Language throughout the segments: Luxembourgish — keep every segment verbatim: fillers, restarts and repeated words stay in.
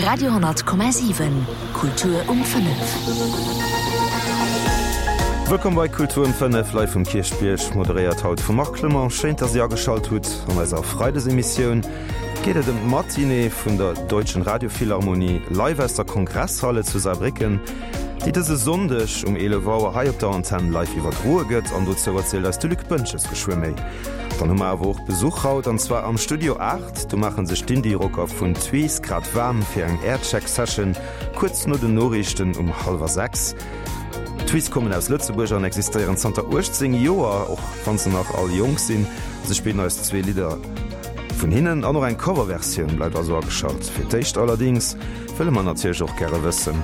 Radio honnert Komma siwen, Kultur um fënnef. Wëllkomm bei Kultur um fënnef, live vum Kierchbierg, moderéiert haut vum Marc Clement. Schéin, dass Dir ageschalt hutt. An eiser Freidesemissioun geet et ëm d'Matinée vun der Deutschen Radiophilharmonie live aus der Kongresshalle zu Saarbrécken, déi dëse Sonndeg um eelef Auer hei op der Antenn live iwwerdroe gëtt. An dozou erzielt eis de Luc Boentges geschwë méi. Dann hu mer awer och Besuch haut, an zwar am Studio aacht. Do maache sech d'Indie-Rocker vun Twiz grad waarm fir eng Aircheck-Session kuerz no den Noriichten um hallwer sechs. D'Twiz kommen aus Lëtzebuerg an existéieren zanter uechtzéng Joer, och wann se nach all jonk sinn. Se spillen eis zwee Lidder vun hinnen an och eng Coverversioun. Bleift also ageschalt. Fir d'éischt allerdéngs wëlle mer natierlech och gäre wëssen,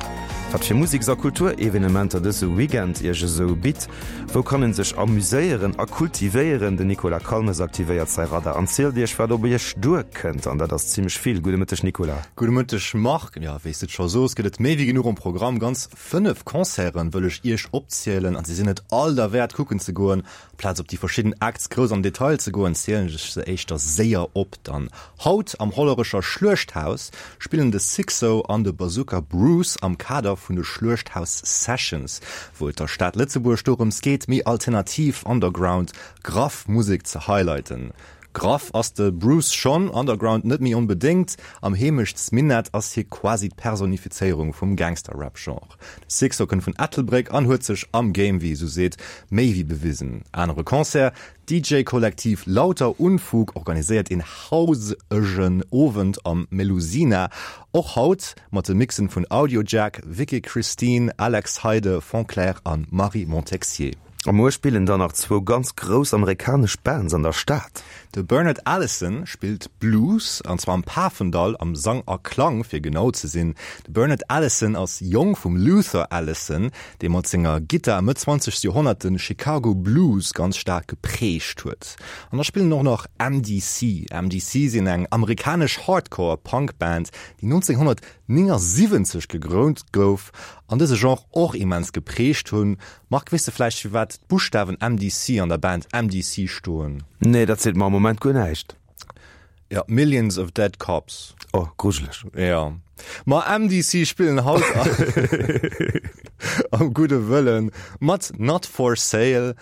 wat fir Museks a Kulturevenementer dëse Weekend iech esou bitt. Wou kann en sech amuséieren a kultivéieren? Den Nicolas Calmes aktivéiert säi Radar an zielt iech, wat op iech duerkënnt. An dat ass zimmlech vill. Gudde Mëtteg, Nicolas. Gudde Mëtteg, Marc. Jo, wéi s de et scho soos, gëtt et méi wéi genuch um Programm. Ganz fënnef Concerten wëll ech iech opzielen an se sinn et all derwäert kucken ze goen. Amplaz op déi verschidden Acts grouss am Detail ze goen, zielen ech se éischter séier op. Dann haut am Hollerecher Schluechthaus spillen de Sixo an de Bazooka Bruce am Kader vun de Schluechthaus Sessions, wou et der Stad Lëtzebuerg dorëms geet, méi alternativ, underground, graff Musek ze highlighten. Graff ass de Bruce schonn, underground net méi onbedéngt. Am Heemechtsminett ass hie quasi d'Personifizéierung vum Gangster-Rap-Genre. De Sixo kënnt vun Ettelbréck an huet sech am Game, wéi ee sou seet, méi wéi bewisen. Anere Concert, D'D J-Kollektiv Lauter Unfug organiséiert een hausegen Owend am Melusina, och haut, mat de Mixen vun Audiojack, Vicky Christine, Alex Heide, Fonclair an Marie Montexier. A muer spillen dann nach zwou ganz grouss amerikanesch Bands an der Stad. De Bernard Allison spillt Blues, an zwar am Pafendall, am Sang a Klang fir genau ze sinn. De Bernard Allison ass Jong vum Luther Allison, dee mat senger Gittar Mëtt zwanzegst Joerhonnert de Chicago Blues ganz staark geprägt huet. An da spillen och nach M D C. M D C sinn eng amerikanesch Hardcore Punk Band, déi nonzénghonnertnéngasiwwenzeg gegrënnt gouf an dëse Genre och immens geprägt hunn. Marc, weess de vläicht firwat d'Buschtawen M D C an der Band M D C stoen? Nee, dat seet mer am Moment guer näischt. Ja, Millions of Dead Cops. Oh, grujeleg. Ja. Ma M D C spillen haut am Gudde Wëllen mat Not For Sale,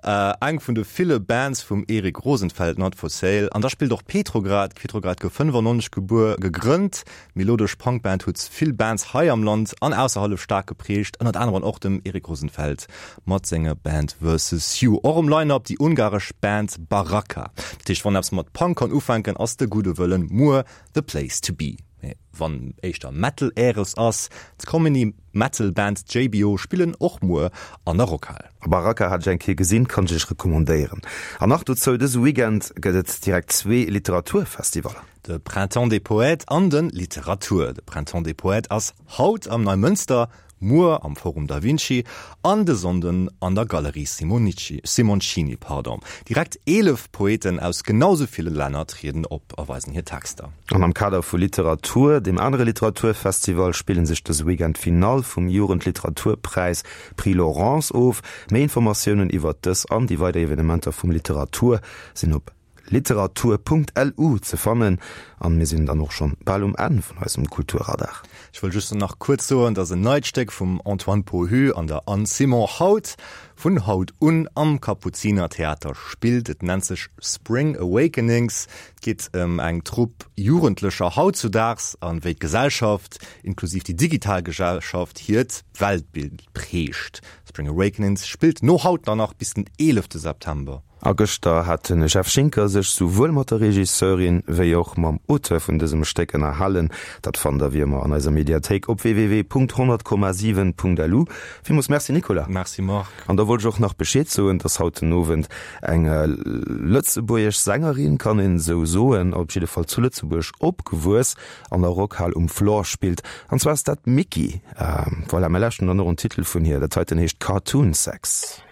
äh, eng vun de ville Bands vum Erik Rosenfeld, Not For Sale. An da spillt och Petrograd. Petrograd gouf fënnefannonzeg gebuer, gegrënnt. Melodesch Punkband huet vill Bands hei am Land an ausserhalb staark geprägt, ënnert anerem och dem Erik Rosenfeld mat senger Band Versus You. Och um Line-Up déi ungaresch Band Baraka. Dat heescht, wann eppes mat Punk kann ufänken, ass de Gudde Wëllen muer the place to be. Mee wann éischter Metal äres ass, d'Comedy Metal Band J B O spillen och muer an der Rockhal. Baraka hat ech eng Kéier gesinn, kann ech iech recommandéieren. An nach dozou, dëse Weekend gëtt et direkt zwee Literaturfestivaller. De Printemps des Poètes an de Literatur. De Printemps des Poètes ass haut am Neimënster, muer am Forum Da Vinci an de Sonnden an der Galerie Simonici, Simoncini. Pardon. Direkt eelef Poeten aus genau sou ville Länner trieden op a weisen hir Texter. An am Kader vu Literatur, deem anere Literaturfestival, spillen sech dëse Weekend d'Finall vum Jugendliteraturpräis Prix Laurence of. Méi Informatiounen iwwert dës an déi weider Evenementer vum Literatur sinn op literatur Punkt L U ze fannen. An mir sinn dann och schonn bal um Enn vun eisem Kulturradar. Ech wëll just nach kuerz soen, dass en neit Stéck vum Antoine Pohu an der Anne Simon haut vun haut un am Kapuzinertheater spillt. Et nennt sech Spring Awakenings. Et geet ëm eng Trupp Jugendlecher hautzudaags an wéi d'Gesellschaft, inklusiv déi digital Gesellschaft, hiert Weltbild prägt. Spring Awakenings spillt no haut dann nach bis den eelefte September. A gëschter hat de Jeff Schinker sech souwuel mat der Regisseurin wéi och mam Auteur vun dësem Stéck ënnerhalen. Dat fannt der wéi ëmmer an eiser Mediathéik op w w w Punkt honnert Komma siwen Punkt l u. Villmools Merci Nicolas. Merci Marc. An da wollt ech och nach Bescheed soen, dass haut den Owend eng lëtzebuergesch Sängerin, kann een esou soen, op jidde Fall zu Lëtzebuerg opgewuess, an der Rockhal um Floor spillt. An zwar ass dat d'Micky. Voilà, mir lauschteren dann och en Titel vun hir. Dat heiten heescht Cartoon Sex.